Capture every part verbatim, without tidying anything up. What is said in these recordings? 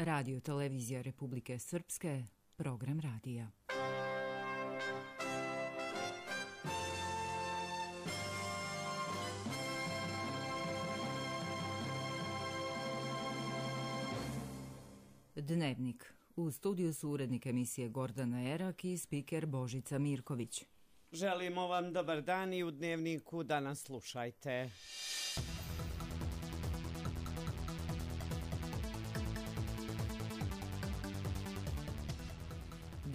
Radio televizija Republike Srpske, program radija. Dnevnik. U studiju su urednik emisije Gordana Erak i spiker Božica Mirković. Želimo vam dobar dan i u Dnevniku da nas slušajte.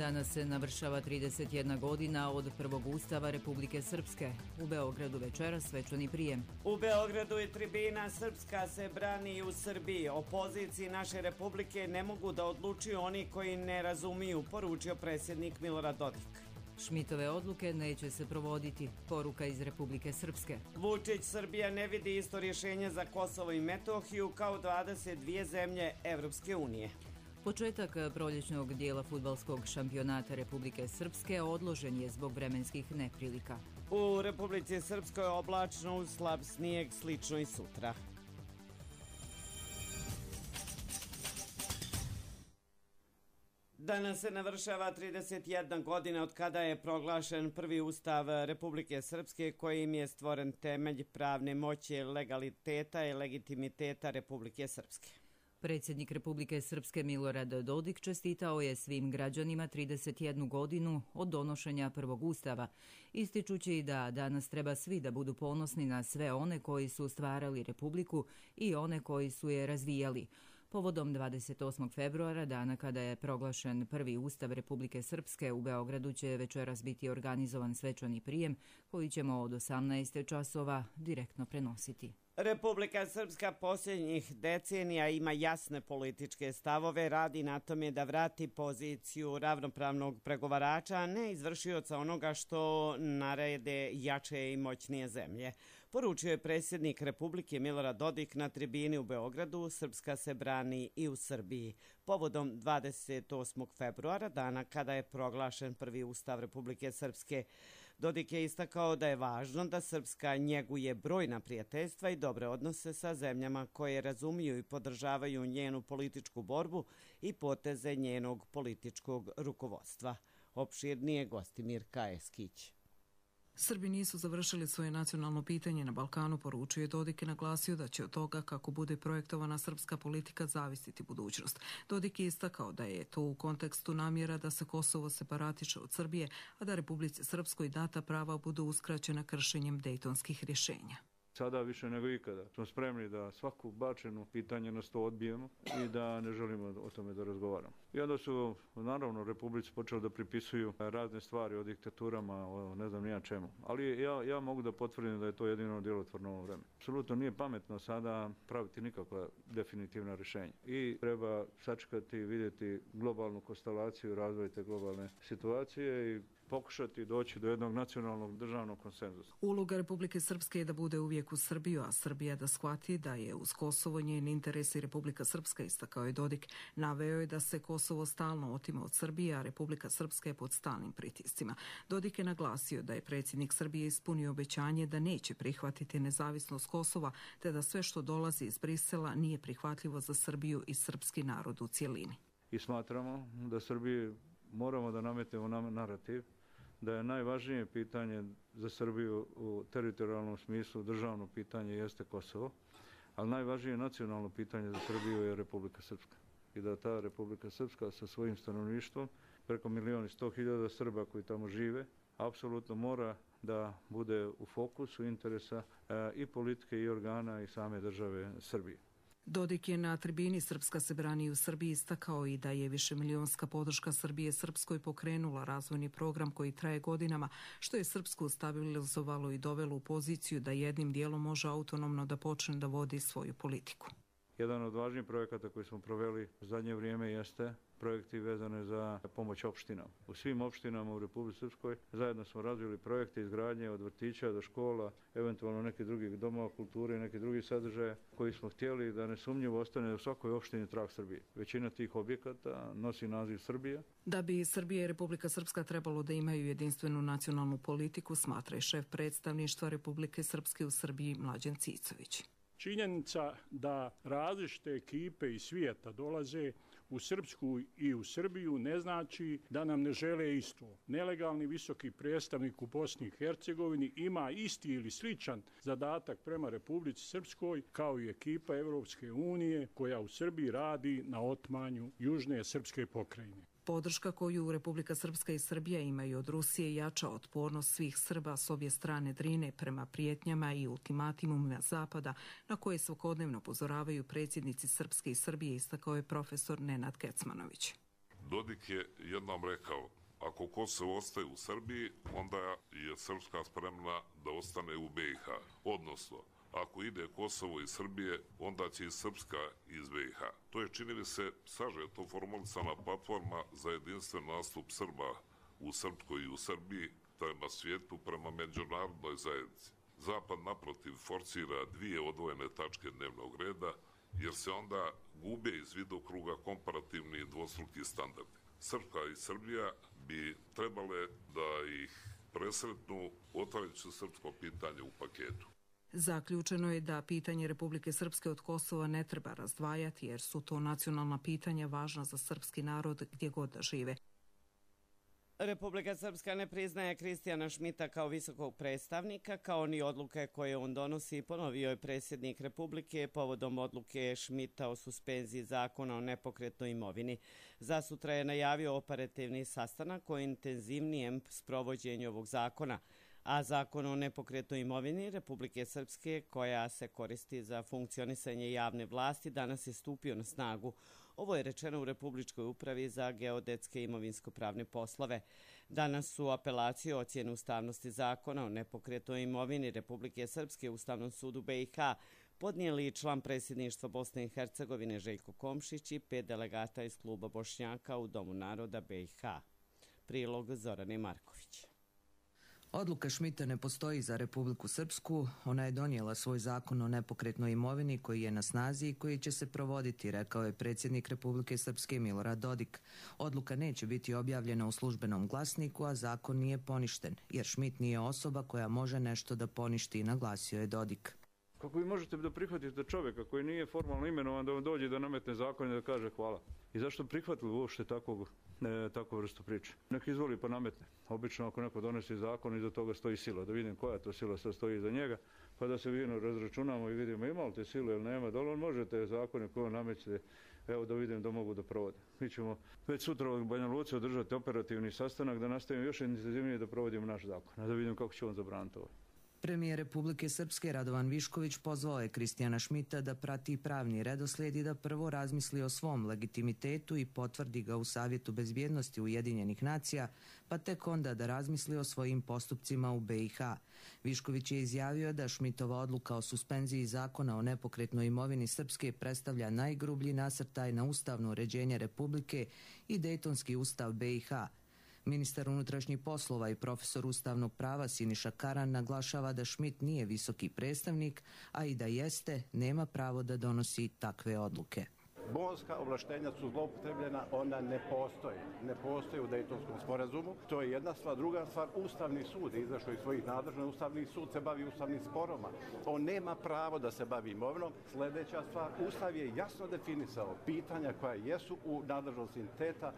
Danas se navršava trideset jedna godina od prvog ustava Republike Srpske. U Beogradu večeras svečani prijem. U Beogradu je tribina Srpska se brani u Srbiji. O poziciji naše republike ne mogu da odlučuju oni koji ne razumiju, poručio predsjednik Milorad Dodik. Šmitove odluke neće se provoditi, poruka iz Republike Srpske. Vučić, Srbija ne vidi isto rješenje za Kosovo i Metohiju kao dvadeset dvije zemlje Evropske unije. Početak proljećnog dijela fudbalskog šampionata Republike Srpske odložen je zbog vremenskih neprilika. U Republici Srpskoj oblačno uz slab snijeg, slično i sutra. Danas se navršava trideset jedna godina od kada je proglašen prvi ustav Republike Srpske kojim je stvoren temelj pravne moći, legaliteta i legitimiteta Republike Srpske. Predsjednik Republike Srpske Milorad Dodik čestitao je svim građanima trideset jednu godinu od donošenja prvog ustava, ističući da danas treba svi da budu ponosni na sve one koji su stvarali Republiku i one koji su je razvijali. Povodom dvadeset osmog februara, dana kada je proglašen prvi ustav Republike Srpske, u Beogradu će večeras biti organizovan svečani prijem koji ćemo od osamnaest časova direktno prenositi. Republika Srpska posljednjih decenija ima jasne političke stavove, radi na tome da vrati poziciju ravnopravnog pregovarača, a ne izvršioca onoga što narede jače i moćnije zemlje. Poručio je predsjednik Republike Milorad Dodik na tribini u Beogradu. Srpska se brani i u Srbiji. Povodom dvadeset osmog februara, dana kada je proglašen prvi ustav Republike Srpske, Dodik je istakao da je važno da Srpska njeguje brojna prijateljstva i dobre odnose sa zemljama koje razumiju i podržavaju njenu političku borbu i poteze njenog političkog rukovodstva. Opširnije Gostimir Kajeskić. Srbi nisu završili svoje nacionalno pitanje na Balkanu, poručuje Dodik i naglasio da će od toga kako bude projektovana srpska politika zavisiti budućnost. Dodik je istakao da je to u kontekstu namjera da se Kosovo separatiše od Srbije, a da Republici Srpskoj data prava budu uskraćena kršenjem dejtonskih rješenja. Sada više nego ikada smo spremni da svaku bačenu pitanje na sto odbijemo i da ne želimo o tome da razgovaramo. I onda su, naravno, Republici počeli da pripisuju razne stvari o diktaturama, o ne znam nija čemu. Ali ja, ja mogu da potvrdim da je to jedino djelotvorno ovo vreme. Apsolutno nije pametno sada praviti nikakva definitivna rješenja. I treba sačekati i vidjeti globalnu konstelaciju, razvoj te globalne situacije i pokušati doći do jednog nacionalnog državnog konsenzusa. Uloga Republike Srpske je da bude uvijek uz Srbiju, a Srbija da shvati da je uz Kosovo njen interes i Republika Srpska, istakao je Dodik. Naveo je da se Kosovo stalno otima od Srbije, a Republika Srpska je pod stalnim pritiscima. Dodik je naglasio da je predsjednik Srbije ispunio obećanje da neće prihvatiti nezavisnost Kosova, te da sve što dolazi iz Brisela nije prihvatljivo za Srbiju i srpski narod u cijelini. I smatramo da Srbiji moramo da nametnemo narativ da je najvažnije pitanje za Srbiju u teritorijalnom smislu, državno pitanje jeste Kosovo, ali najvažnije nacionalno pitanje za Srbiju je Republika Srpska. I da ta Republika Srpska sa svojim stanovništvom, preko milijon i sto hiljada Srba koji tamo žive, apsolutno mora da bude u fokusu interesa i politike i organa i same države Srbije. Dodik je na tribini Srpska se brani u Srbiji istakao i da je višemilionska podrška Srbije Srpskoj pokrenula razvojni program koji traje godinama, što je Srpsku stabilizovalo i dovelo u poziciju da jednim dijelom može autonomno da počne da vodi svoju politiku. Jedan od važnijih projekata koji smo proveli u zadnje vrijeme jeste projekti vezane za pomoć opštinama. U svim opštinama u Republici Srpskoj zajedno smo razvili projekte izgradnje od vrtića do škola, eventualno nekih drugih domova kulture i nekih drugih sadržaja koji smo htjeli da nesumnjivo ostane u svakoj opštini trag Srbije. Većina tih objekata nosi naziv Srbija. Da bi Srbija i Republika Srpska trebalo da imaju jedinstvenu nacionalnu politiku, smatra i šef predstavništva Republike Srpske u Srbiji Mlađan Cicović. Činjenica da različite ekipe iz svijeta dolaze u Srpsku i u Srbiju ne znači da nam ne žele isto. Nelegalni visoki predstavnik u Bosni i Hercegovini ima isti ili sličan zadatak prema Republici Srpskoj kao i ekipa Evropske unije koja u Srbiji radi na otmanju južne srpske pokrajine. Podrška koju Republika Srpska i Srbija imaju od Rusije jača otpornost svih Srba s obje strane Drine prema prijetnjama i ultimatimumima Zapada na koje svakodnevno upozoravaju predsjednici Srpske i Srbije, istakao je profesor Nenad Kecmanović. Dodik je jednom rekao, ako Kosovo ostaje u Srbiji, onda je Srpska spremna da ostane u B i H. Odnosno, ako ide Kosovo iz Srbije, onda će i Srpska iz B i H. To je, čini mi se, sažeto formulisana platforma za jedinstven nastup Srba u Srpskoj i u Srbiji prema svijetu, prema međunarodnoj zajednici. Zapad, naprotiv, forsira dvije odvojene tačke dnevnog reda, jer se onda gube iz vidokruga komparativni i dvostruki standardi. Srpska i Srbija bi trebale da ih presretnu otvarajući srpsko pitanje u paketu. Zaključeno je da pitanje Republike Srpske od Kosova ne treba razdvajati jer su to nacionalna pitanja važna za srpski narod gdje god da žive. Republika Srpska ne priznaje Kristijana Šmita kao visokog predstavnika, kao ni odluke koje on donosi, ponovio je predsjednik Republike povodom odluke Šmita o suspenziji zakona o nepokretnoj imovini. Za sutra je najavio operativni sastanak o intenzivnijem sprovođenju ovog zakona, a zakon o nepokretnoj imovini Republike Srpske, koja se koristi za funkcionisanje javne vlasti, danas je stupio na snagu. Ovo je rečeno u Republičkoj upravi za geodetske i imovinsko-pravne poslove. Danas su apelaciju o ocjenu ustavnosti zakona o nepokretnoj imovini Republike Srpske u Ustavnom sudu B i H podnijeli član predsjedništva Bosne i Hercegovine Željko Komšić i pet delegata iz kluba Bošnjaka u Domu naroda B i H. Prilog Zorane Marković. Odluka Šmita ne postoji za Republiku Srpsku. Ona je donijela svoj zakon o nepokretnoj imovini koji je na snazi i koji će se provoditi, rekao je predsjednik Republike Srpske Milorad Dodik. Odluka neće biti objavljena u službenom glasniku, a zakon nije poništen, jer Šmit nije osoba koja može nešto da poništi, naglasio je Dodik. Kako vi možete da prihvatite čovjeka koji nije formalno imenovan da vam dođe da nametne zakon i da kaže hvala? I zašto prihvatili uopšte takvog, ne, takvu vrstu priče? Nek izvoli pa nametne. Obično ako neko donesi zakon, iza toga stoji sila. Da vidim koja to sila sad stoji iza njega, pa da se vidimo, razračunamo i vidimo ima li te sile ili nema, da li on može te zakone koje nameće, evo da vidim da mogu da provode. Mi ćemo već sutra u Banja Luci održati operativni sastanak da nastavimo još intenzivnije da provodimo naš zakon, a da vidim kako će on zabraniti ovo. Premijer Republike Srpske Radovan Višković pozvao je Kristijana Šmita da prati pravni redoslijed i da prvo razmisli o svom legitimitetu i potvrdi ga u Savjetu bezbjednosti Ujedinjenih nacija, pa tek onda da razmisli o svojim postupcima u B i H. Višković je izjavio da Šmitova odluka o suspenziji zakona o nepokretnoj imovini Srpske predstavlja najgrublji nasrtaj na ustavno uređenje Republike i Dejtonski ustav B i H. Ministar unutrašnjih poslova i profesor ustavnog prava Siniša Karan naglašava da Šmit nije visoki predstavnik, a i da jeste, nema pravo da donosi takve odluke. Bonska ovlaštenja su zloupotrebljena, ona ne postoji. Ne postoji u Dejtonskom sporazumu. To je jedna stvar. Druga stvar, Ustavni sud je izašao iz svojih nadležnosti. Ustavni sud se bavi ustavnim sporoma. On nema pravo da se bavi imovinom. Sljedeća stvar, Ustav je jasno definisao pitanja koja jesu u nadležnosti entiteta.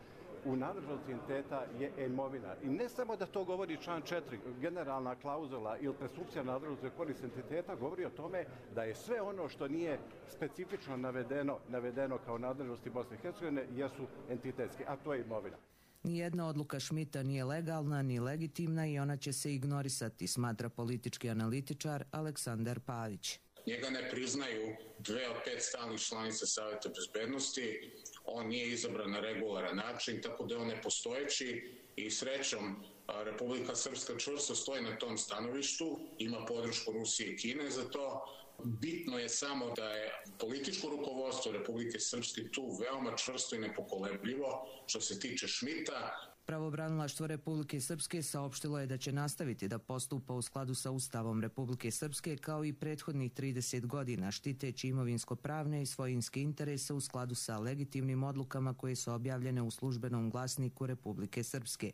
U nadležnosti entiteta je imovina. I ne samo da to govori član četiri, generalna klauzula ili presumpcija nadležnosti korist entiteta, govori o tome da je sve ono što nije specifično navedeno, navedeno kao nadležnosti Bosne i Hercegovine jesu entitetski, a to je imovina. Nijedna odluka Šmita nije legalna ni legitimna i ona će se ignorisati, smatra politički analitičar Aleksandar Pavić. Njega ne priznaju dve od pet stalnih članica Savjeta bezbednosti, on nije izabran na regularan način, tako da je on nepostojeći i srećom Republika Srpska čvrsto stoji na tom stanovištu, ima podršku Rusije i Kine za to. Bitno je samo da je političko rukovodstvo Republike Srpske tu veoma čvrsto i nepokolebljivo što se tiče Šmita. Pravobranilaštvo Republike Srpske saopštilo je da će nastaviti da postupa u skladu sa Ustavom Republike Srpske kao i prethodnih trideset godina, štiteći imovinsko-pravne i svojinske interese u skladu sa legitimnim odlukama koje su objavljene u službenom glasniku Republike Srpske.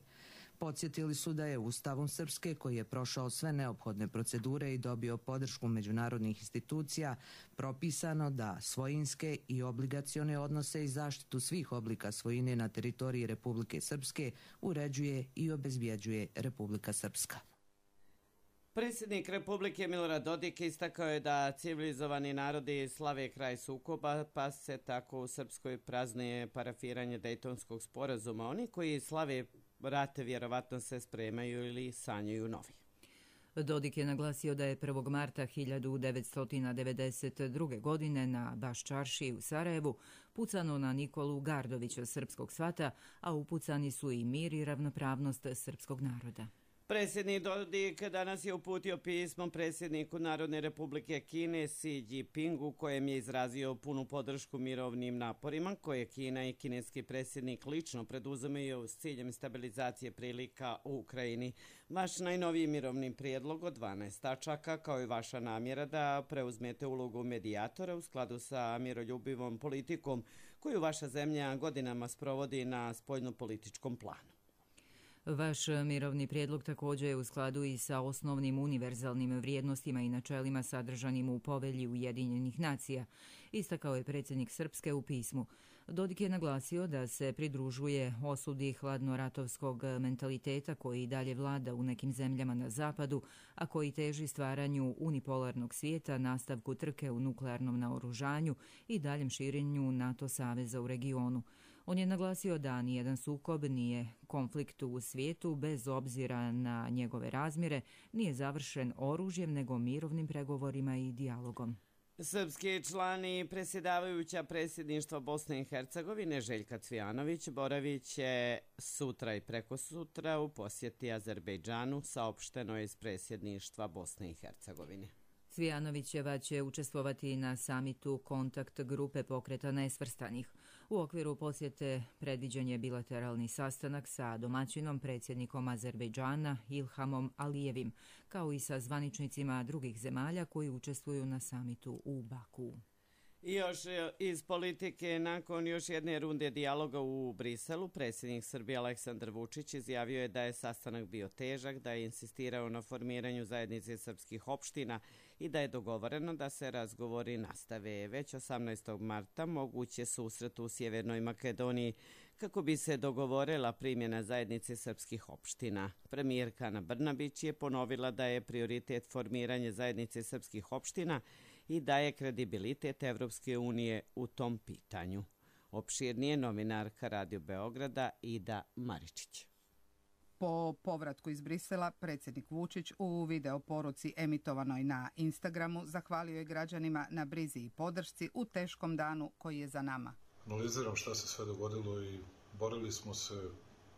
Podsjetili su da je Ustavom Srpske, koji je prošao sve neophodne procedure i dobio podršku međunarodnih institucija, propisano da svojinske i obligacione odnose i zaštitu svih oblika svojine na teritoriji Republike Srpske uređuje i obezbjeđuje Republika Srpska. Predsjednik Republike Milorad Dodik istakao je da civilizovani narodi slave kraj sukoba, pa se tako u Srpskoj praznuje parafiranje Dejtonskog sporazuma. Oni koji slave rate vjerovatno se spremaju ili sanjaju novi. Dodik je naglasio da je prvog marta hiljadu devetsto devedeset druge. godine na Baščarši u Sarajevu pucano na Nikolu Gardovića srpskog svata, a upucani su i mir i ravnopravnost srpskog naroda. Predsjednik Dodik danas je uputio pismo predsjedniku Narodne republike Kine Xi Jinpingu, kojem je izrazio punu podršku mirovnim naporima koje Kina i kineski predsjednik lično preduzimaju s ciljem stabilizacije prilika u Ukrajini. Vaš najnoviji mirovni prijedlog od dvanaest tačaka, kao i vaša namjera da preuzmete ulogu medijatora u skladu sa miroljubivom politikom koju vaša zemlja godinama sprovodi na spoljnopolitičkom planu. Vaš mirovni prijedlog također je u skladu i sa osnovnim univerzalnim vrijednostima i načelima sadržanim u povelji Ujedinjenih nacija, istakao je predsjednik Srpske u pismu. Dodik je naglasio da se pridružuje osudi hladnoratovskog mentaliteta koji dalje vlada u nekim zemljama na zapadu, a koji teži stvaranju unipolarnog svijeta, nastavku trke u nuklearnom naoružanju i daljem širenju NATO saveza u regionu. On je naglasio da nijedan sukob nije konflikt u svijetu bez obzira na njegove razmjere, nije završen oružjem nego mirovnim pregovorima i dijalogom. Srpski člani predsjedavajuća predsjedništva Bosne i Hercegovine Željka Cvijanović boravit će sutra i prekosutra u posjeti Azerbejdžanu, saopšteno je iz predsjedništva Bosne i Hercegovine. Cvijanovićeva će učestvovati na samitu kontakt grupe pokreta nesvrstanih. U okviru posjete predviđen je bilateralni sastanak sa domaćinom predsjednikom Azerbejdžana Ilhamom Alijevim, kao i sa zvaničnicima drugih zemalja koji učestvuju na samitu u Baku. I još iz politike, nakon još jedne runde dijaloga u Briselu, predsjednik Srbije Aleksandar Vučić izjavio je da je sastanak bio težak, da je insistirao na formiranju zajednice srpskih opština i da je dogovoreno da se razgovori nastave. Već osamnaestog marta moguće susret u Sjevernoj Makedoniji kako bi se dogovorila primjena zajednice srpskih opština. Premijerka Ana Brnabić je ponovila da je prioritet formiranje zajednice srpskih opština i daje kredibilitet Evropske unije u tom pitanju. Opširnije novinarka Radio Beograda Ida Maričić. Po povratku iz Brisela, predsjednik Vučić u video poruci emitovanoj na Instagramu zahvalio je građanima na brizi i podršci u teškom danu koji je za nama. Analiziram šta se sve dogodilo i borili smo se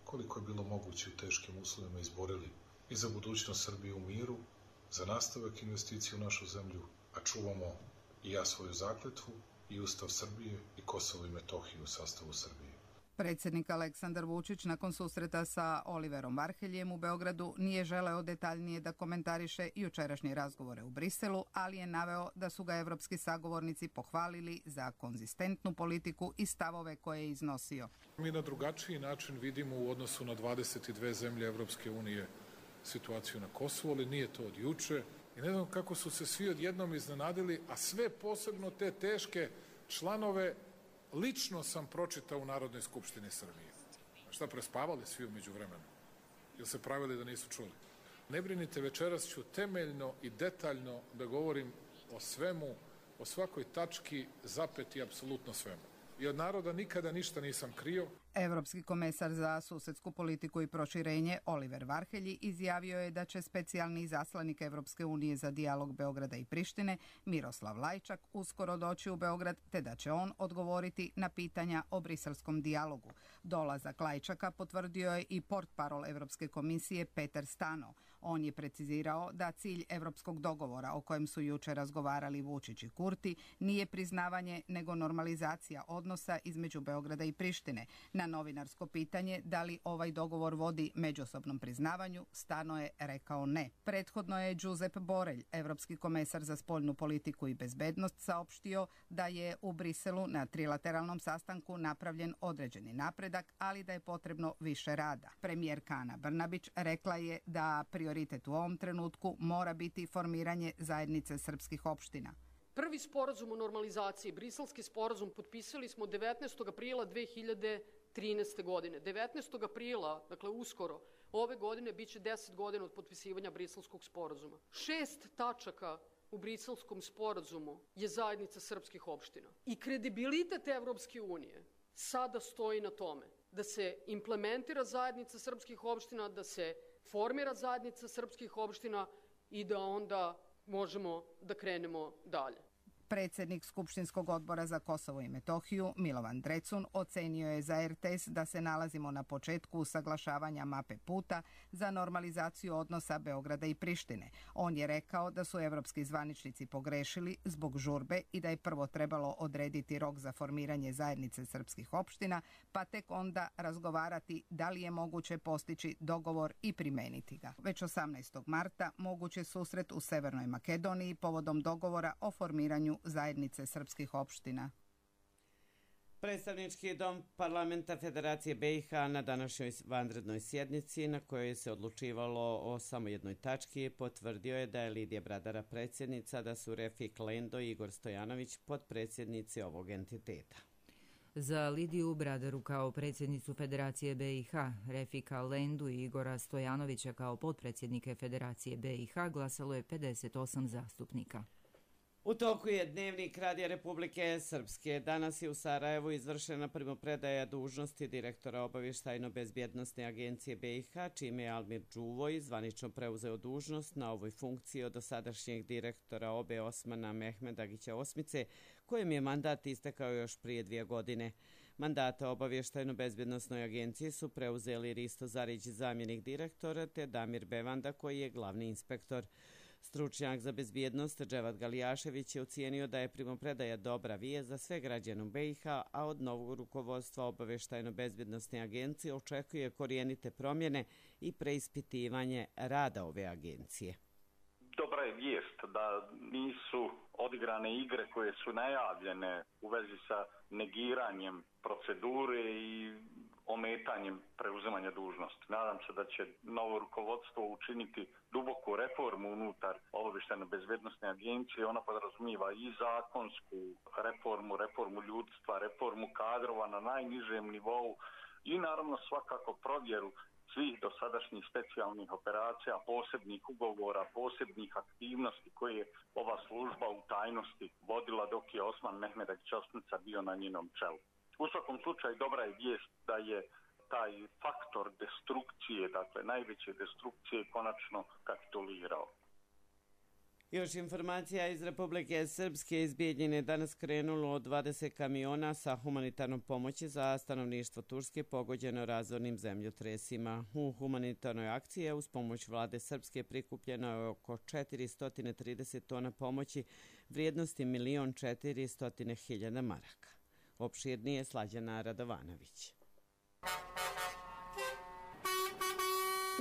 koliko je bilo moguće u teškim uslovima, izborili i za budućnost Srbije u miru, za nastavak investicije u našu zemlju, a čuvamo i ja svoju zakletvu i Ustav Srbije i Kosovo i Metohiju u sastavu Srbije. Predsjednik Aleksandar Vučić nakon susreta sa Oliverom Varheljem u Beogradu nije želeo detaljnije da komentariše jučerašnje razgovore u Briselu, ali je naveo da su ga evropski sagovornici pohvalili za konzistentnu politiku i stavove koje je iznosio. Mi na drugačiji način vidimo u odnosu na dvadeset dve zemlje Evropske unije situaciju na Kosovu, ali nije to od juče. I ne znam kako su se svi odjednom iznenadili, a sve posebno te teške članove lično sam pročitao u Narodnoj skupštini Srbije. A šta, prespavali svi umeđu vremenu? Ili se pravili da nisu čuli? Ne brinite, večeras ću temeljno i detaljno da govorim o svemu, o svakoj tački, zapeti apsolutno svemu. I od naroda nikada ništa nisam krio. Evropski komesar za susedsku politiku i proširenje Oliver Varhelji izjavio je da će specijalni izaslanik Evropske unije za dijalog Beograda i Prištine Miroslav Lajčak uskoro doći u Beograd, te da će on odgovoriti na pitanja o briselskom dijalogu. Dolazak Lajčaka potvrdio je i portparol Evropske komisije Peter Stano. On je precizirao da cilj evropskog dogovora o kojem su juče razgovarali Vučić i Kurti nije priznavanje nego normalizacija odnosa između Beograda i Prištine. Na novinarsko pitanje da li ovaj dogovor vodi međusobnom priznavanju, Stano je rekao ne. Prethodno je Giuseppe Borrell, evropski komesar za spoljnu politiku i bezbednost, saopštio da je u Briselu na trilateralnom sastanku napravljen određeni napredak, ali da je potrebno više rada. Premijerka Ana Brnabić rekla je da prioritet u ovom trenutku mora biti formiranje zajednice srpskih opština. Prvi sporazum o normalizaciji, briselski sporazum, potpisali smo devetnaestog aprila dve hiljade trinaeste. godine. devetnaestog aprila, dakle uskoro, ove godine biće deset godina od potpisivanja briselskog sporazuma. Šest tačaka u briselskom sporazumu je zajednica srpskih opština. I kredibilitet Evropske unije sada stoji na tome da se implementira zajednica srpskih opština, da se formira zajednica srpskih opština i da onda možemo da krenemo dalje. Predsjednik Skupštinskog odbora za Kosovo i Metohiju, Milovan Drecun, ocenio je za er te es da se nalazimo na početku usaglašavanja mape puta za normalizaciju odnosa Beograda i Prištine. On je rekao da su evropski zvaničnici pogrešili zbog žurbe i da je prvo trebalo odrediti rok za formiranje zajednice srpskih opština, pa tek onda razgovarati da li je moguće postići dogovor i primeniti ga. Već osamnaestog marta moguć je susret u Severnoj Makedoniji povodom dogovora o formiranju zajednice srpskih opština. Predstavnički dom Parlamenta Federacije be i ha na današnjoj vanrednoj sjednici, na kojoj se odlučivalo o samo jednoj tački, potvrdio je da je Lidija Bradara predsjednica, da su Refik Lendo i Igor Stojanović potpredsjednici ovog entiteta. Za Lidiju Bradaru kao predsjednicu Federacije be i ha, Refika Lendu i Igora Stojanovića kao potpredsjednike Federacije be i ha glasalo je pedeset osam zastupnika. U toku je dnevnik Radija Republike Srpske. Danas je u Sarajevu izvršena primopredaja dužnosti direktora Obavještajno-bezbjednosne agencije be i ha, čime je Almir Đuvoj zvanično preuzeo dužnost na ovoj funkciji od dosadašnjeg direktora O B E Osmana Mehmedagića Osmice, kojem je mandat istekao još prije dvije godine. Mandata Obavještajno-bezbjednosnoj agenciji su preuzeli Risto Zarić, zamjenik direktora, te Damir Bevanda, koji je glavni inspektor. Stručnjak za bezbjednost Dževad Galijašević je ocijenio da je primopredaja dobra vijest za sve građane u be i ha, a od novog rukovodstva Obavještajno-bezbjednosne agencije očekuje korijenite promjene i preispitivanje rada ove agencije. Dobra je vijest da nisu odigrane igre koje su najavljene u vezi sa negiranjem procedure i ometanjem preuzimanja dužnosti. Nadam se da će novo rukovodstvo učiniti duboku reformu unutar Obavještajno-bezbjednosne agencije. Ona podrazumijeva i zakonsku reformu, reformu ljudstva, reformu kadrova na najnižem nivou i naravno svakako provjeru svih dosadašnjih specijalnih operacija, posebnih ugovora, posebnih aktivnosti koje je ova služba u tajnosti vodila dok je Osman Mehmedagić Osmica bio na njenom čelu. U svakom slučaju dobra je vijest da je taj faktor destrukcije, dakle najveće destrukcije, konačno kapitulirao. Još informacija iz Republike Srpske. Iz Bijeljine danas krenulo dvadeset kamiona sa humanitarnom pomoći za stanovništvo Turske pogođeno razornim zemljotresima. U humanitarnoj akciji je uz pomoć vlade Srpske prikupljeno je oko četiristo trideset tona pomoći vrijednosti milion četiristo hiljada maraka. Opširnije Slađana Radovanović.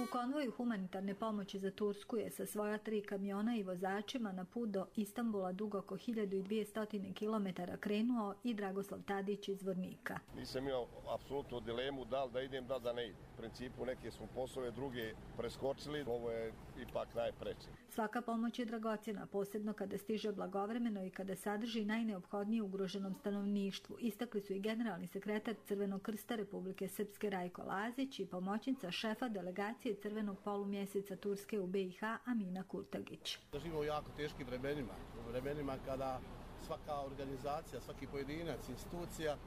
U konvoju humanitarne pomoći za Tursku je sa svoja tri kamiona i vozačima na put do Istanbula dug oko hiljadu dvjesto kilometara krenuo i Dragoslav Tadić iz Vornika. Nisam imao apsolutno dilemu da li da idem, da li da ne idem. U principu neke smo poslove druge preskočili, ovo je ipak najpreče. Svaka pomoć je dragocjena, posebno kada stiže blagovremeno i kada sadrži najneophodnije ugroženom stanovništvu. Istakli su i generalni sekretar Crvenog krsta Republike Srpske Rajko Lazić i pomoćnica šefa delegacije Crvenog polumjeseca Turske u be i ha Amina Kurtagić. Živimo u jako teškim vremenima, u vremenima kada svaka organizacija, svaki pojedinac, institucija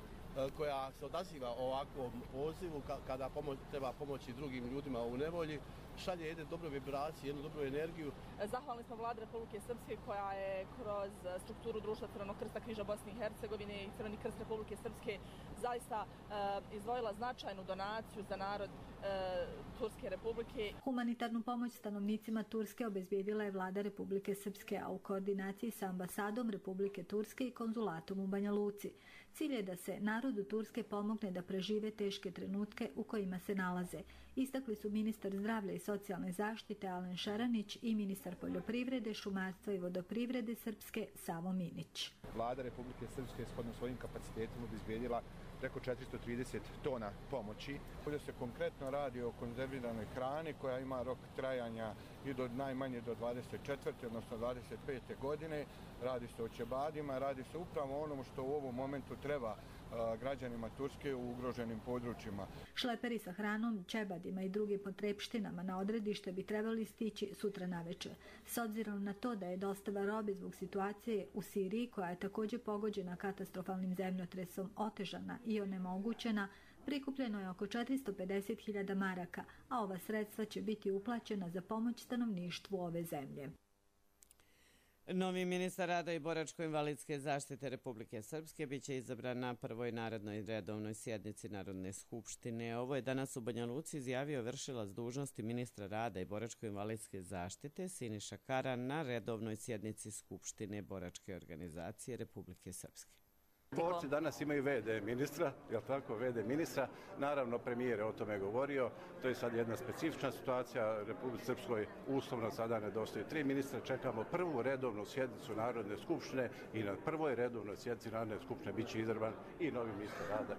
koja se odaziva ovakvom pozivu, kada pomoć, treba pomoći drugim ljudima u nevolji, šalje jedne dobre vibracije, jednu dobru energiju. Zahvalni smo Vladi Republike Srpske koja je kroz strukturu društva Crvenog krsta Križa Bosne i Hercegovine i Crveni krst Republike Srpske zaista e, izdvojila značajnu donaciju za narod e, Turske Republike. Humanitarnu pomoć stanovnicima Turske obezbijedila je Vlada Republike Srpske, a u koordinaciji sa ambasadom Republike Turske i konzulatom u Banja Luci. Cilj je da se narod narodu Turske pomogne da prežive teške trenutke u kojima se nalaze. Istakli su ministar zdravlja i socijalne zaštite Alen Šaranić i ministar poljoprivrede, šumarstva i vodoprivrede Srpske Savo Minić. Vlada Republike Srpske shodno svojim kapacitetima obezbijedila preko četiristo trideset tona pomoći. Ovdje se konkretno radi o konzerviranoj hrani koja ima rok trajanja i do najmanje do dvadeset četvrte odnosno dvadeset pete godine. Radi se o ćebadima, radi se upravo o onom što u ovom momentu treba građanima Turske u ugroženim područjima. Šleperi sa hranom, ćebadima i drugim potrepštinama na odredište bi trebali stići sutra navečer. S obzirom na to da je dostava robe zbog situacije u Siriji, koja je također pogođena katastrofalnim zemljotresom, otežana i onemogućena, prikupljeno je oko četiristo pedeset hiljada maraka, a ova sredstva će biti uplaćena za pomoć stanovništvu ove zemlje. Novi ministar rada i boračko-invalidske zaštite Republike Srpske biće izabran na prvoj narednoj redovnoj sjednici Narodne skupštine. Ovo je danas u Banja Luci izjavio vršilac dužnosti ministra rada i boračko-invalidske zaštite Siniša Karan na redovnoj sjednici Skupštine Boračke organizacije Republike Srpske. Borci danas imaju ve de ministra, je li tako, ve de ministra, naravno premijer je o tome govorio, to je sad jedna specifična situacija, Republike Srpskoj uslovno sada nedostaju tri ministra, čekamo prvu redovnu sjednicu Narodne skupštine i na prvoj redovnoj sjednici Narodne skupštine bit će izabran i novi ministar rada.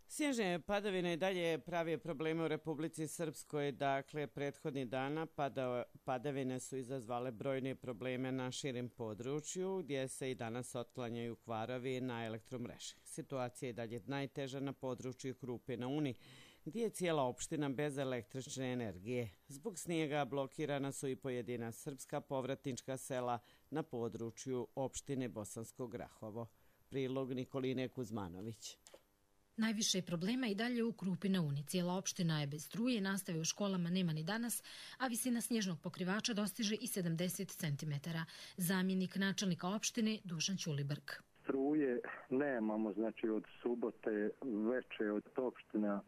Snježne padavine i dalje pravi probleme u Republici Srpskoj. Dakle, prethodnih dana padavine su izazvale brojne probleme na širim području, gdje se i danas otklanjaju kvarovi na elektromreži. Situacija je dalje najteža na području Krupe na Uni, gdje je cijela opština bez električne energije. Zbog snijega blokirana su i pojedina srpska povratnička sela na području opštine Bosansko Grahovo. Prilog Nikoline Kuzmanović. Najviše problema i dalje u Krupi na Uni. Cijela opština je bez struje, nastave u školama nema ni danas, a visina snježnog pokrivača dostiže i sedamdeset centimetara. Zamjenik načelnika opštine Dušan Ćulibrk. Struje nemamo, znači od subote veče od opština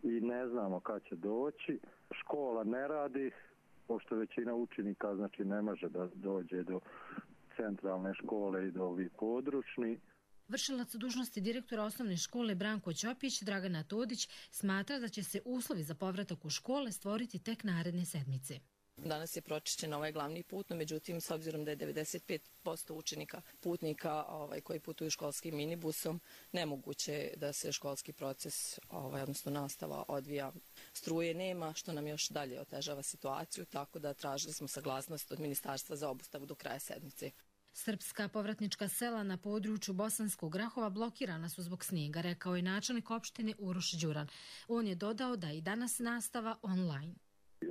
i ne znamo kad će doći. Škola ne radi, pošto većina učenika znači ne može da dođe do centralne škole i do ovih područni. Vršilac dužnosti direktora osnovne škole Branko Ćopić, Dragana Todić, smatra da će se uslovi za povratak u škole stvoriti tek naredne sedmice. Danas je pročišćen ovaj glavni put, no međutim, s obzirom da je devedeset pet posto učenika, putnika ovaj, koji putuju školskim minibusom, nemoguće da se školski proces, ovaj, odnosno nastava, odvija. Struje nema, što nam još dalje otežava situaciju, tako da tražili smo saglasnost od ministarstva za obustavu do kraja sedmice. Srpska povratnička sela na području Bosanskog Grahova blokirana su zbog snijega, rekao je načelnik opštine Uroš Đuran. On je dodao da i danas nastava online.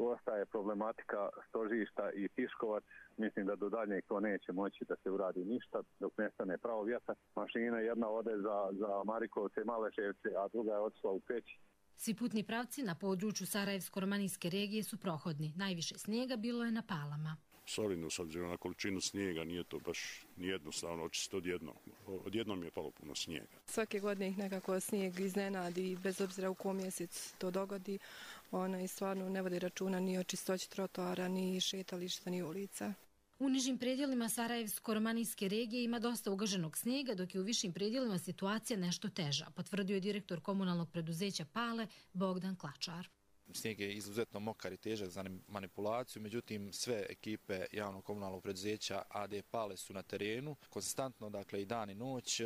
Ostaje problematika Stožišta i Tiškovac. Mislim da do daljnjeg to neće moći da se uradi ništa dok nestane pravo vjetar. Mašina jedna ode za, za Marikovce i Maleševce, a druga je otišla u Peć. Svi putni pravci na području Sarajevsko-romanijske regije su prohodni. Najviše snijega bilo je na Palama. Solidno, s obzirom na količinu snijega, nije to baš nijednostavno očistiti odjednom. Odjednom je palo puno snijega. Svake godine ih nekako snijeg iznenadi, bez obzira u kom mjesec to dogodi. Ona i stvarno ne vodi računa ni o čistoći trotoara, ni šetališta, ni ulica. U nižim predjelima Sarajevsko-romanijske regije ima dosta ugaženog snijega, dok je u višim predjelima situacija nešto teža, potvrdio je direktor komunalnog preduzeća Pale Bogdan Klačar. Snijeg je izuzetno mokar i težak za manipulaciju, međutim sve ekipe javnog komunalnog preduzeća A D Pale su na terenu, konstantno, dakle i dan i noć,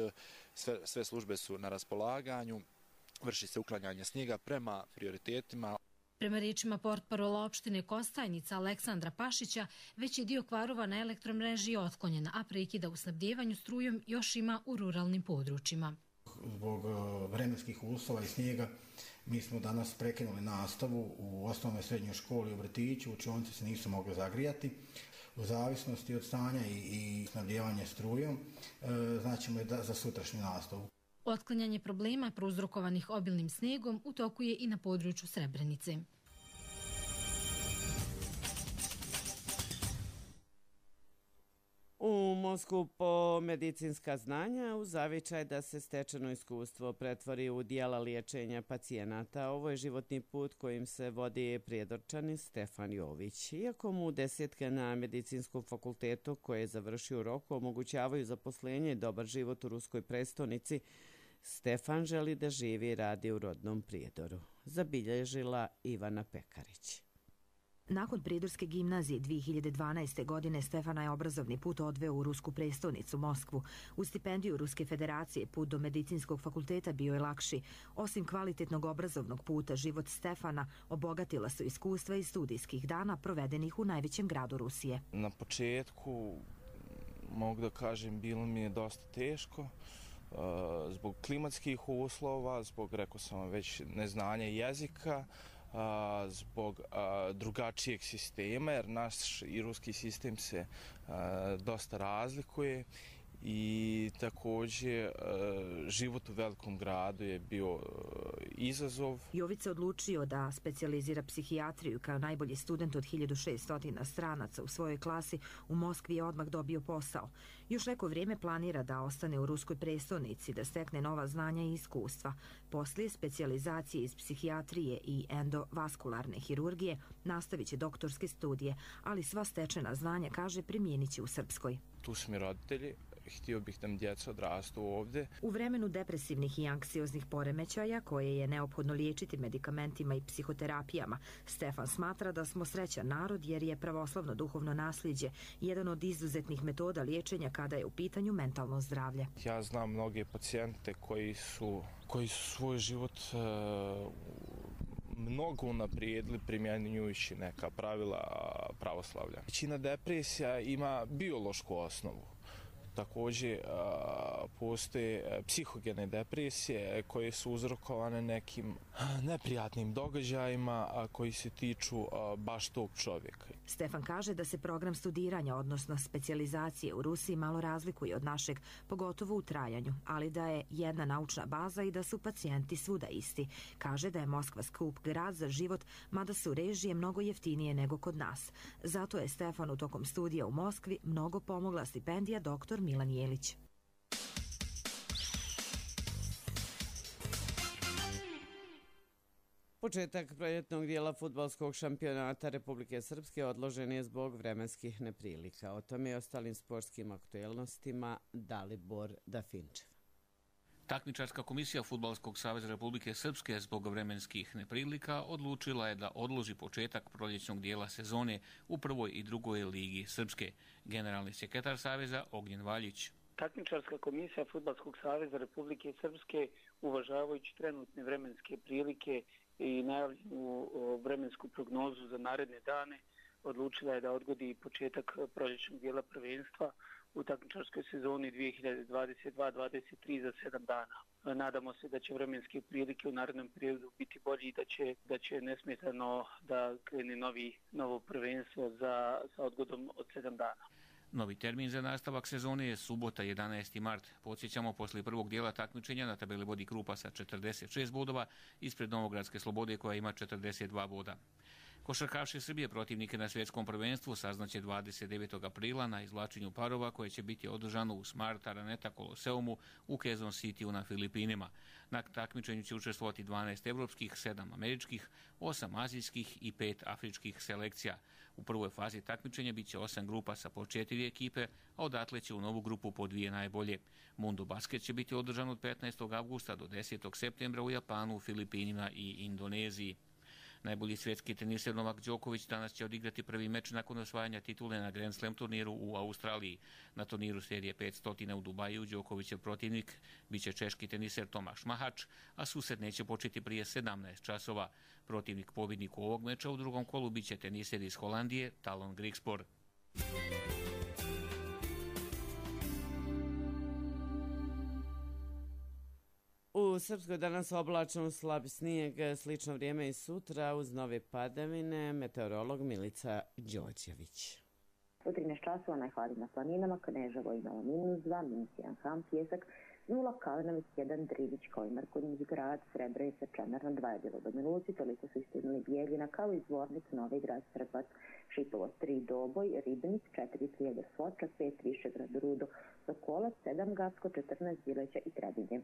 sve, sve službe su na raspolaganju, vrši se uklanjanje snijega prema prioritetima. Prema riječima portparola opštine Kostajnica Aleksandra Pašića, veći dio kvarova na elektromreži je otklonjen, a prekida u snabdjevanju strujom još ima u ruralnim područjima. Zbog vremenskih uslova i snijega mi smo danas prekinuli nastavu u osnovnoj srednjoj školi u vrtiću, učionice se nisu mogle zagrijati. U zavisnosti od stanja i, i snabdjevanja strujom, e, znaćemo je da, za sutrašnju nastavu. Otklanjanje problema prouzrokovanih obilnim snijegom u toku je i na području Srebrenice. U Moskvu po medicinska znanja u zavičaj da se stečeno iskustvo pretvori u dijela liječenja pacijenata. Ovo je životni put kojim se vodi prijedorčanin Stefan Jović. Iako mu desetke na medicinskom fakultetu koje je završio u roku omogućavaju zaposlenje i dobar život u ruskoj prestonici, Stefan želi da živi i radi u rodnom Prijedoru, zabilježila Ivana Pekarić. Nakon Prijedorske gimnazije dvije hiljade dvanaeste. godine Stefana je obrazovni put odveo u rusku prestolnicu Moskvu. U stipendiju Ruske federacije put do medicinskog fakulteta bio je lakši. Osim kvalitetnog obrazovnog puta, život Stefana obogatila su iskustva iz studijskih dana provedenih u najvećem gradu Rusije. Na početku, mogu da kažem, bilo mi je dosta teško. Zbog klimatskih uslova, zbog, rekao sam već, neznanja jezika, A, zbog a, drugačijeg sistema, jer naš i ruski sistem se a, dosta razlikuje i također život u velikom gradu je bio izazov. Jovica odlučio da specijalizira psihijatriju kao najbolji student od hiljadu šesto stranaca u svojoj klasi. U Moskvi je odmah dobio posao. Još neko vrijeme planira da ostane u ruskoj prestolnici, da stekne nova znanja i iskustva. Poslije specijalizacije iz psihijatrije i endovaskularne hirurgije nastavit će doktorske studije, ali sva stečena znanja, kaže, primijenit će u Srpskoj. Tu su mi roditelji. Htio bih da mi djeca odrastu ovdje. U vremenu depresivnih i anksioznih poremećaja, koje je neophodno liječiti medikamentima i psihoterapijama, Stefan smatra da smo srećan narod jer je pravoslavno duhovno nasljeđe jedan od izuzetnih metoda liječenja kada je u pitanju mentalno zdravlje. Ja znam mnoge pacijente koji su, koji su svoj život uh, mnogo unaprijedili primjenjujući neka pravila pravoslavlja. Većina depresija ima biološku osnovu. Također postoje psihogene depresije koje su uzrokovane nekim neprijatnim događajima koji se tiču baš tog čovjeka. Stefan kaže da se program studiranja, odnosno specijalizacije u Rusiji, malo razlikuje od našeg, pogotovo u trajanju, ali da je jedna naučna baza i da su pacijenti svuda isti. Kaže da je Moskva skup grad za život, mada su režije mnogo jeftinije nego kod nas. Zato je Stefanu tokom studija u Moskvi mnogo pomogla stipendija doktor Milan Jelić. Početak proljetnog dijela fudbalskog šampionata Republike Srpske odložen je zbog vremenskih neprilika. O tome i ostalim sportskim aktuelnostima Dalibor Dafinčev. Takmičarska komisija Fudbalskog saveza Republike Srpske zbog vremenskih neprilika odlučila je da odloži početak proljećnog dijela sezone u prvoj i drugoj ligi Srpske. Generalni sekretar saveza Ognjen Valjić. Takmičarska komisija Fudbalskog saveza Republike Srpske, uvažavajući trenutne vremenske prilike i najavljenu vremensku prognozu za naredne dane, odlučila je da odgodi početak proljećnog dijela prvenstva u takmičarskoj sezoni dvije hiljade dvadeset dva dvadeset tri za sedam dana. Nadamo se da će vremenske prilike u narednom periodu biti bolji i da će, da će nesmetano da krene novi, novo prvenstvo za, sa odgodom od sedam dana. Novi termin za nastavak sezone je subota jedanaesti mart. Podsjećamo, poslije prvog dijela takmičenja na tabeli vodi Krupa sa četrdeset šest bodova, ispred Novogradske Slobode koja ima četrdeset dva boda. Košarkaši Srbije protivnike na svjetskom prvenstvu saznaće dvadeset devetog aprila na izvlačenju parova koje će biti održano u Smart Araneta Koloseumu u Quezon Cityu na Filipinima. Na takmičenju će učestvovati dvanaest evropskih, sedam američkih, osam azijskih i pet afričkih selekcija. U prvoj fazi takmičenja bit će osam grupa sa po četiri ekipe, a odatle će u novu grupu po dvije najbolje. Mundo Basket će biti održan od petnaestog avgusta do desetog septembra u Japanu, Filipinima i Indoneziji. Najbolji svjetski teniser Novak Đoković danas će odigrati prvi meč nakon osvajanja titule na Grand Slam turniru u Australiji. Na turniru serije petsto u Dubaju Đokovićev protivnik biće češki teniser Tomaš Mahač, a susret neće početi prije sedamnaest časova. Protivnik pobjedniku ovog meča u drugom kolu biće teniser iz Holandije Talon Grigspor. U Srpskoj danas oblačno, slab snijeg, slično vrijeme i sutra uz nove padavine. Meteorolog Milica Đorđević. U trinaest časova najhladnije na planinama, Kneževo imalo minus dva, minus jedan Ham, Pjesak, nula Kalinović, jedan Drivić, Kojmar, Konjić grad, Srebrenica, Čemerna, dva je bilo do Miluci, toliko su isto imali Bijeljina, kao i Zvornik, Novi grad, Srbac, Šipovo, tri Doboj, Ribnik, četiri Prijedor, Foča, pet Višegrad, Rudo, Sokolac, sedam Gacko, četrnaest Bileća i Trebinje.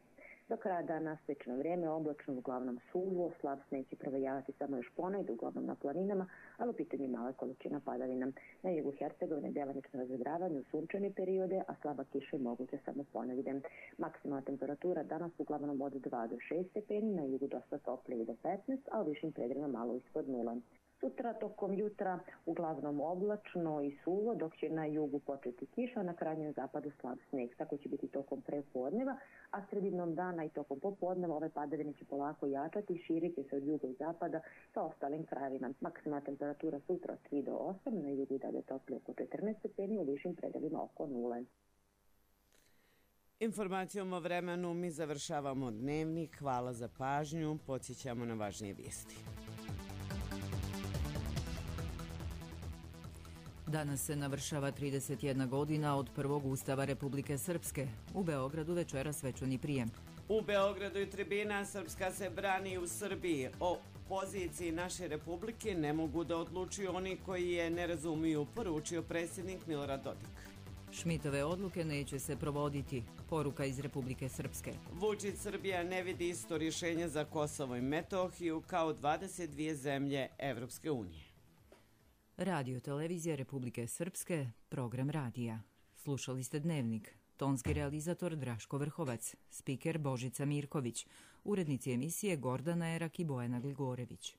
Do kraja dana slično vrijeme, oblačno, uglavnom suvo, slab snijeg će provejavati samo još ponegdje, uglavnom na planinama, ali u pitanju male količina padavina. Na jugu Hercegovine delimično razvedravanje u sunčane periode, a slaba kiša je moguća samo ponegdje. Maksimalna temperatura danas uglavnom od dva do šest stepeni, na jugu dosta toplije do petnaest, a u višim predjelima malo ispod nula. Sutra tokom jutra uglavnom oblačno i suvo, dok će na jugu početi kiša, a na krajnjem zapadu slab snijeg. Tako će biti tokom prepodneva, a sredinom dana i tokom popodneva ove padavine će polako jačati i širit će se od juga i zapada sa ostalim krajevima. Maksimalna temperatura sutra od tri do osam, na jugu i dalje toplije oko četrnaest stepeni, u višim predjelima oko nule. Informacijom o vremenu mi završavamo dnevnik. Hvala za pažnju. Podsjećamo na važnije vijesti. Danas se navršava trideset jedna godina od prvog Ustava Republike Srpske. U Beogradu večera svečani prijem. U Beogradu i tribina Srpska se brani u Srbiji. O poziciji naše republike ne mogu da odlučuju oni koji je ne razumiju, poručio predsjednik Milorad Dodik. Šmitove odluke neće se provoditi. Poruka iz Republike Srpske. Vučić, Srbija ne vidi isto rješenje za Kosovo i Metohiju kao dvadeset dvije zemlje Evropske unije. Radio Televizija Republike Srpske, program radija. Slušali ste Dnevnik. Tonski realizator Draško Vrhovac, spiker Božica Mirković, urednici emisije Gordana Erak i Bojana Gligorević.